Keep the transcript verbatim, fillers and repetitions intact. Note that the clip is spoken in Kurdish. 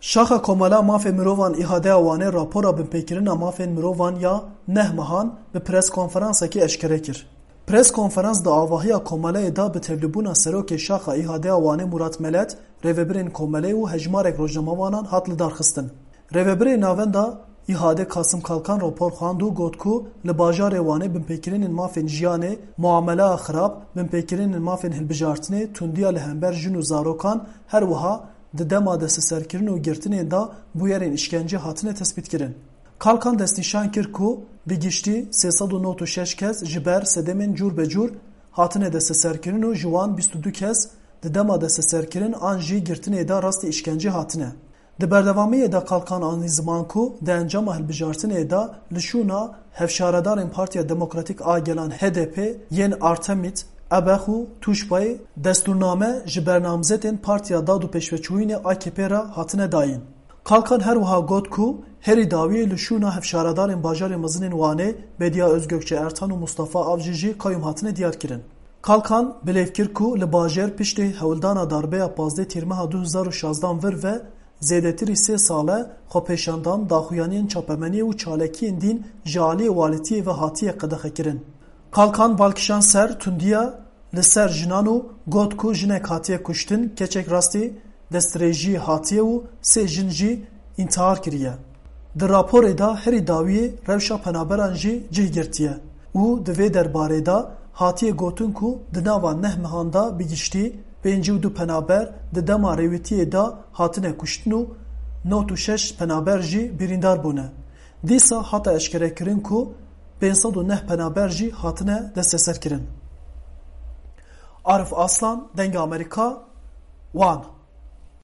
Şaxa Komela Mafê Mirovan îhadeya Wanê rapora binpêkirina mafên mirovan ya neh mehan bi pres konferansekê eşkere kir. Pres konferans di avahiya komeleyê de bi tevlîbûna serokê Şaxa îhadeya Wanê Murat Melet, rêvebirên komeleyê û hejmarek rojnamevanan hat lidarxistin. Rêvebirê Navenda Îhade Kasim Kalkan rapor xwend û got ku li bajarê Wanê binpêkirinên mafên jiyanê, muameleya xirab, binpêkirinên mafên hilbijartinê, tundiya li hember jin û zarokan, her wiha di dema desteserkirin û girtinên de bûyerên îşkencê hatine tespîtkirin. Kalkan destnîşan kir ku bi giştî sê sed û nod û şeş kes ji ber sedemên cûr be cûr hatine desteserkirin û ji wan bîst û du kes di dema desteserkirin an jî girtinê de rastî îşkencê hatine. Di berdewamiyê de Kalkan anî ziman ku di encama hilbijartinê de li şûna hevşaredarên Partiya Demokratîk a Gelan H D P yên Artemît Ebex û Tûşbayê destûrname ji bernamzetên Partiya Dad û Pêşveçûyînê A K P re hatine dayîn. Kalkan her wiha got ku herî dawiyê li şûna hevşaredarên bajarê mezin ên Wanê Bediye Özgökçe Ertan û Mustafa Avcı jî qayûm hatine diyarkirin. Kalkan bilêv kir ku li bajêr piştî hewldana darbeya pazdeh Tîrmeha du hezar û şazdan vir ve zêdetirî sê sal e xwepêşandan, daxuyaniyên çapemeniyê û çalakiyên dîn ji aliyê walîtiyê ve hatiye qedexekirin. Kalkan bal kişand ser tundiya li ser jinan û got ku jinek hatiye kuştin, keçek rastî destdirêjiyê hatiye û sê jin jî întihar kiriye. Di raporê de herî dawiyê rewşa penaberan jî cih girtiye û di vê derbarê de hatiye gotin ku di nava neh mehan de bi giştî pêncî û du penaber di dema rêwîtiyê de hatine kuştin û nod û şeş penaber jî birîndar bûne. Dîsa hate eşkerekirin ku pênc sed û neh penaber jî hatine desteserkirin. Arif Aslan, Dengê Amerîka, Wan.